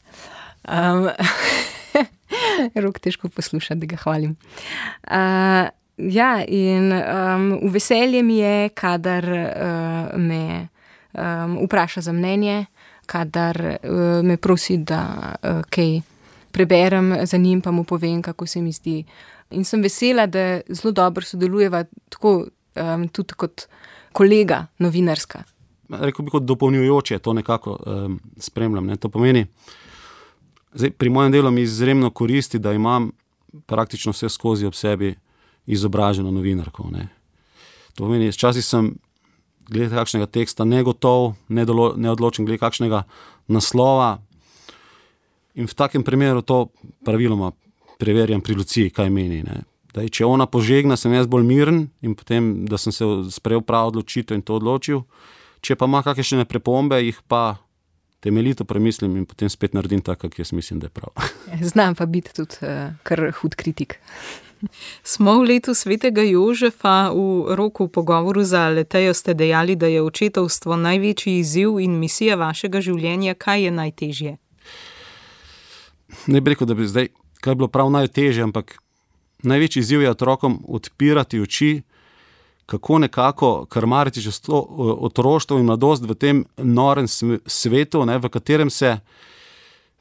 Rok težko posluša, da ga hvalim. Ja, in v veselje mi je, kadar me vpraša za mnenje, kadar me prosi, da kaj preberem za njim, pa mu povem, kako se mi zdi. In sem vesela, da zelo dobro sodelujeva tako tudi kot kolega novinarska. Rekel bi kot dopolnjujoče, to nekako spremljam. Ne? To pomeni, zdaj, pri mojem delu mi izjemno koristi, da imam praktično vse skozi ob sebi izobraženo novinarko. Ne? To pomeni, včasih sem glede kakšnega teksta negotov, neodločen glede kakšnega naslova in v takem primeru to praviloma preverjam pri Luciji, kaj meni. Ne? Daj, če ona požegna, sem jaz bolj miren in potem, da sem se sprejel prav odločitev in to odločil. Če pa ima kakšne pripombe, jih pa temeljito premislim in potem spet naredim tako, kak jaz mislim, da je prav. Znam pa biti tudi kar hud kritik. Smo v letu svetega Jožefa. V Roku v pogovoru za Letejo ste dejali, da je očetovstvo največji izziv in misija vašega življenja. Kaj je najtežje? Ne bi rekel, da bi zdaj kaj bilo prav najtežje, ampak največji izziv je otrokom odpirati oči, kako nekako krmariti čez to otroštvo in mladost v tem norem svetu, ne, v katerem se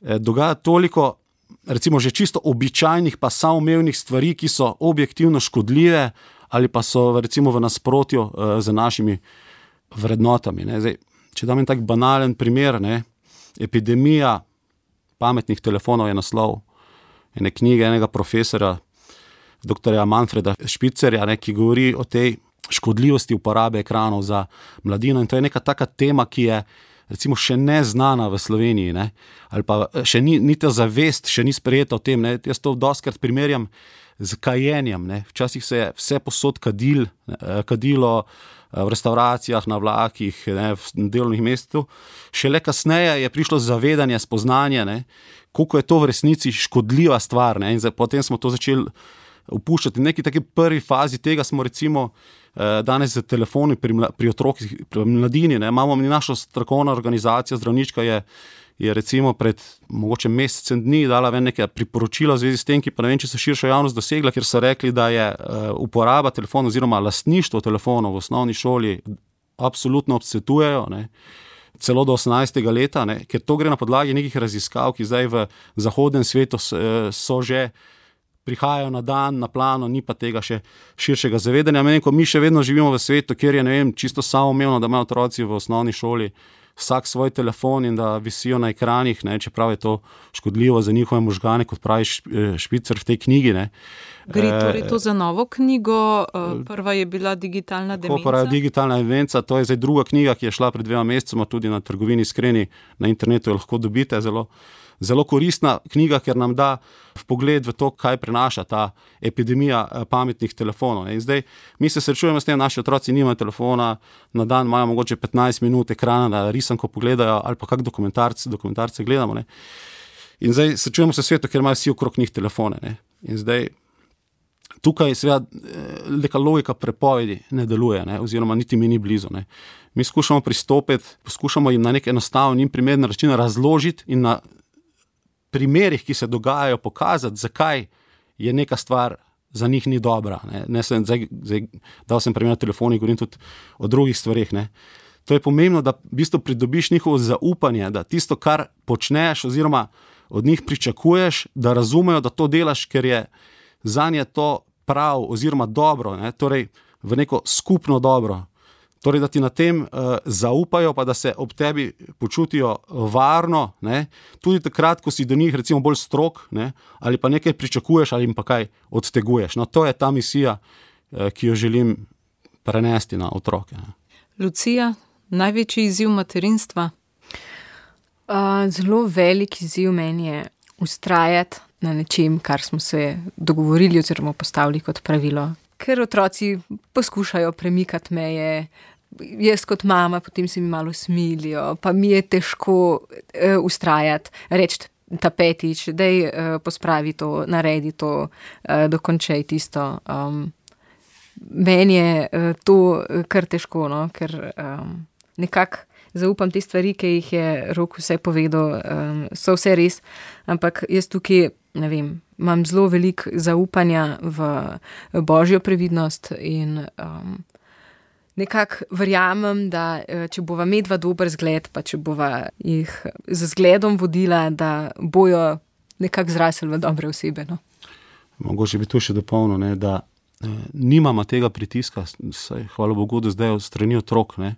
dogaja toliko, recimo že čisto običajnih pa samoumevnih stvari, ki so objektivno škodljive ali pa so recimo v nasprotju z našimi vrednotami. Ne. Zdaj, če dam en tak banalen primer, ne, epidemija pametnih telefonov je naslov ene knjige enega profesora, doktorja Manfreda Špicerja, ne, ki govori o tej škodljivosti uporabe ekranov za mladino in to je neka taka tema, ki je recimo še neznana v Sloveniji, ne, ali pa še ni ta zavest, še ni sprejeta o tem, ne. Jaz to dostikrat primerjam z kajenjem, ne. Včasih se je vse posod kadilo v restauracijah, na vlakih, ne, v delovnih mestih. Šele kasneje je prišlo zavedanje, spoznanje, ne, koliko je to v resnici škodljiva stvar, ne, in potem smo to začeli upuščati. V neki taki prvi fazi tega smo recimo danes z telefoni pri otrokih, pri mladini, ne, imamo naša strokovna organizacija, zdravnička je recimo pred mogoče mesecem dni dala ven neke priporočila v zvezi s tem, ki pa ne vem, če so širšo javnost dosegla, ker so rekli, da je uporaba telefonov oziroma lastništvo telefonov v osnovni šoli absolutno odsvetujejo, ne, celo do 18. leta, ne, ker to gre na podlagi nekih raziskav, ki zdaj v zahodnem svetu so že prihajajo na dan, na plano, ni pa tega še širšega zavedanja. Mi še vedno živimo v svetu, kjer je, ne vem, čisto samoumevno, da imajo otroci v osnovni šoli vsak svoj telefon in da visijo na ekranih, ne, čeprav je to škodljivo za njihove možgane, kot pravi Špicer v tej knjigi. Ne. Gre torej to za novo knjigo, prva je bila Digitalna demenca. Prva je Digitalna demenca, to je zdaj druga knjiga, ki je šla pred 2 mesecema tudi na trgovini Iskreni, na internetu jo lahko dobite, zelo koristna knjiga, ker nam da vpogled v to, kaj prenaša ta epidemija pametnih telefonov. In zdaj mi se srečujemo s tem, naši otroci nimajo telefona, na dan imajo mogoče 15 minut ekrana, da risanko pogledajo ali pa kak dokumentarce gledamo. Ne. In zdaj srečujemo se v svetu, ker imajo vsi okrog njih telefone. Ne? In zdaj tukaj seveda neka logika prepovedi ne deluje, ne? Oziroma niti mi ni blizu. Ne? Mi skušamo pristopiti, poskušamo jim na nek enostaven in primeren način razložiti in na primerih, ki se dogajajo, pokazati, zakaj je neka stvar za njih ni dobra. Ne sem, zdaj, dal sem primer na telefoni, govorim tudi o drugih stvarih. Ne? To je pomembno, da v bistvu pridobiš njihovo zaupanje, da tisto, kar počneš oziroma od njih pričakuješ, da razumejo, da to delaš, ker je zanje to prav oziroma dobro, ne? Torej v neko skupno dobro. Torej, da ti na tem zaupajo, pa da se ob tebi počutijo varno, ne? Tudi takrat, ko si do njih recimo bolj strog, ne? Ali pa nekaj pričakuješ ali jim pa kaj odteguješ. No, to je ta misija, ki jo želim prenesti na otroke. Ne? Lucija, največji izziv materinstva? Zelo velik izziv meni je vztrajati na nečem, kar smo se dogovorili oziroma postavili kot pravilo. Ker otroci poskušajo premikati meje, jaz kot mama, potem se mi malo smilijo, pa mi je težko vztrajati, reči ta petič, daj pospravi to, naredi to, dokončaj tisto. Meni je to kar težko, no? Ker nekako zaupam te stvari, ki jih je Rok vse povedal, so vse res, ampak jaz tukaj, ne vem, imam zelo veliko zaupanja v božjo previdnost in nekako verjamem, da če bova medva dober zgled, pa če bova jih z zgledom vodila, da bojo nekako zrasli v dobre osebe. No? Mogoče bi tu še dopolnil, ne, da nimamo tega pritiska, saj, hvala Bogu, da zdaj od strani otrok, ne,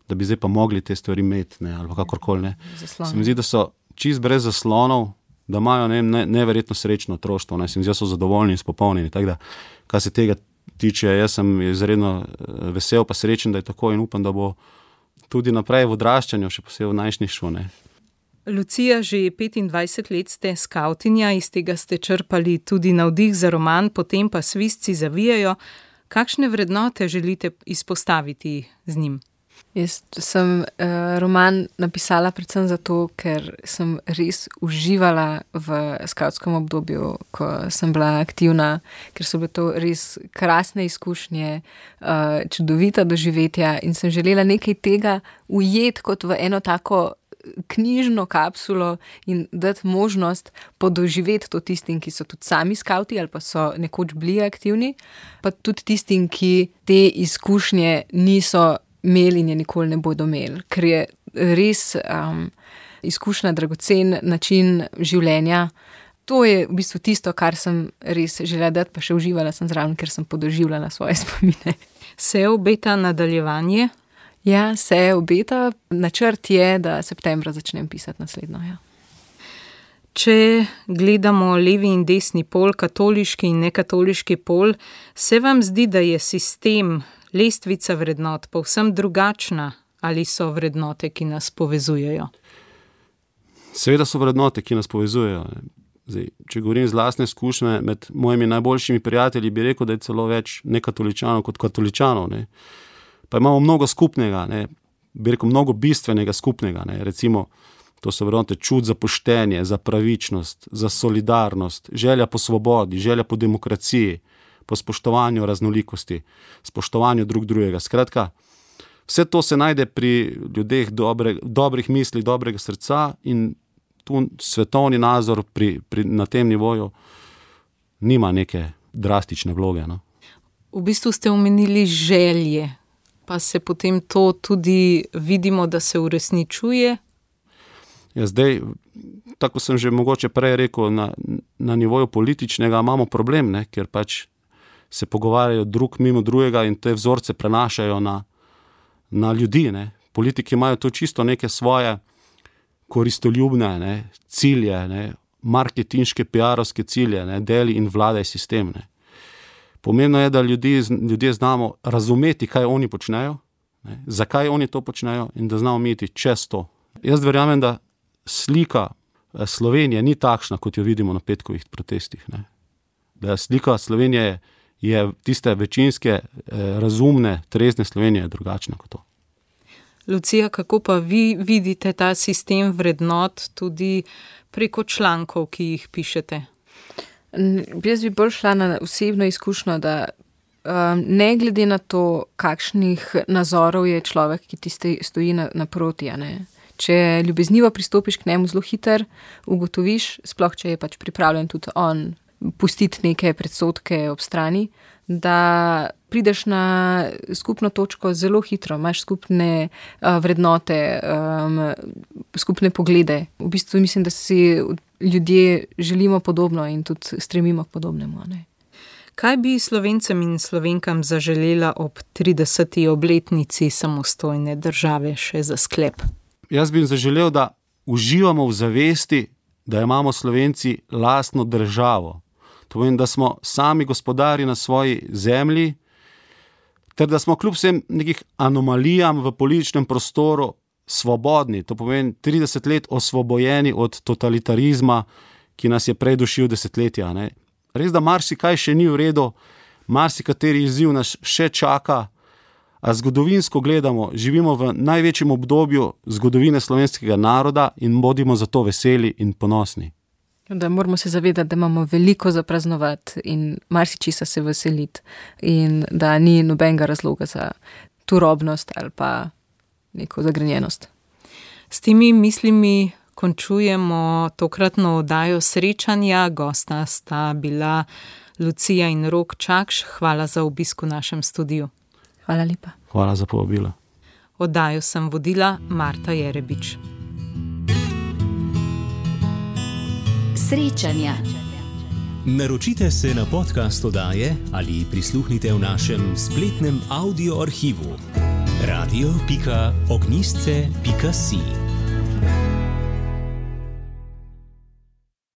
da bi zdaj pa mogli te stvari imeti, ne, ali kakorkoli. Ne. Se mi zdi, da so čist brez zaslonov, da imajo neverjetno srečno otroštvo, ne, se mi zdi, da so zadovoljni in spopolnjeni. Tako da, kar se tega tiče, jaz sem izredno vesel pa srečen, da je tako in upam, da bo tudi naprej v odraščanju, še posebej v najstništvu. Ne. Lucija, že 25 let ste skavtinja, iz tega ste črpali tudi navdih za roman, potem pa Svizci zavijajo. Kakšne vrednote želite izpostaviti z njim? Jaz sem roman napisala predvsem zato, ker sem res uživala v skavtskem obdobju, ko sem bila aktivna, ker so bile to res krasne izkušnje, čudovita doživetja in sem želela nekaj tega ujeti kot v eno tako knjižno kapsulo in dati možnost podoživeti to tistim, ki so tudi sami skavti ali pa so nekoč bili aktivni, pa tudi tistim, ki te izkušnje niso imeli in je nikoli ne bodo imeli, ker je res izkušnja dragocen način življenja. To je v bistvu tisto, kar sem res želela dati, pa še uživala sem zraven, ker sem podoživljala svoje spomine. Se obeta nadaljevanje? Ja, se obeta. Načrt je, da septembra začnem pisati naslednjo. Ja. Če gledamo levi in desni pol, katoliški in nekatoliški pol, se vam zdi, da je sistem, lestvica vrednot povsem drugačna ali so vrednote, ki nas povezujejo? Seveda so vrednote, ki nas povezujejo. Zdaj, če govorim z lastne izkušnje, med mojimi najboljšimi prijatelji bi rekel, da je celo več nekatoličanov kot katoličanov. Ne. Pa imamo mnogo skupnega, ne. Bi rekel mnogo bistvenega skupnega. Ne. Recimo, to so vrednote čut za poštenje, za pravičnost, za solidarnost, želja po svobodi, želja po demokraciji, po spoštovanju raznolikosti, spoštovanju drugega. Skratka, vse to se najde pri ljudeh dobrih misli, dobrega srca in tu svetovni nazor na tem nivoju nima neke drastične vloge. No? V bistvu ste omenili želje, pa se potem to tudi vidimo, da se uresničuje? Ja, zdaj, tako sem že mogoče prej rekel, na nivoju političnega imamo problem, ne, ker pač se pogovarjajo drug mimo drugega in te vzorce prenašajo na ljudi. Ne. Politiki imajo to čisto neke svoje koristoljubne, ne, cilje, ne, marketinške, PR-ovske cilje, ne, deli in vladaj sistem. Ne. Pomembno je, da ljudje znamo razumeti, kaj oni počnejo, ne, zakaj oni to počnejo in da znamo imeti čez to. Jaz verjamem, da slika Slovenije ni takšna, kot jo vidimo na petkovih protestih. Ne. Da slika Slovenije je tiste večinske, razumne, trezne Slovenije drugačna kot to. Lucija, kako pa vi vidite ta sistem vrednot tudi preko člankov, ki jih pišete? Jaz bi bolj šla na osebno izkušnjo, da ne glede na to, kakšnih nazorov je človek, ki ti stoji naproti, Če ljubeznivo pristopiš k njemu zelo hiter, ugotoviš, sploh če je pač pripravljen tudi on pustiti neke predsodke ob strani, da prideš na skupno točko zelo hitro, imaš skupne vrednote, skupne poglede. V bistvu mislim, da si ljudje želimo podobno in tudi stremimo k podobnemu. Kaj bi Slovencem in Slovenkam zaželela ob 30. obletnici samostojne države še za sklep? Jaz bi jim zaželel, da uživamo v zavesti, da imamo Slovenci lastno državo. To pomeni, da smo sami gospodari na svoji zemlji, ter da smo kljub vsem nekih anomalijam v političnem prostoru svobodni. To pomeni 30 let osvobojeni od totalitarizma, ki nas je predušil desetletja. Res, da marsikaj še ni v redu, marsikateri izziv nas še čaka, a zgodovinsko gledamo, živimo v največjem obdobju zgodovine slovenskega naroda in bodimo zato veseli in ponosni. Da moramo se zavedati, da imamo veliko za praznovati in marsičesa se veseliti in da ni nobenega razloga za turobnost ali pa neko zagrenjenost. S temi mislimi končujemo tokratno oddajo Srečanja. Gosta sta bila Lucija in Rok Čakš. Hvala za obisk v našem studiu. Hvala lepa. Hvala za povabilo. Oddajo sem vodila Marta Jerebič. Srečanja. Naročite se na podcast oddaje ali prisluhnite v našem spletnem audio arhivu radio.ognjistce.si.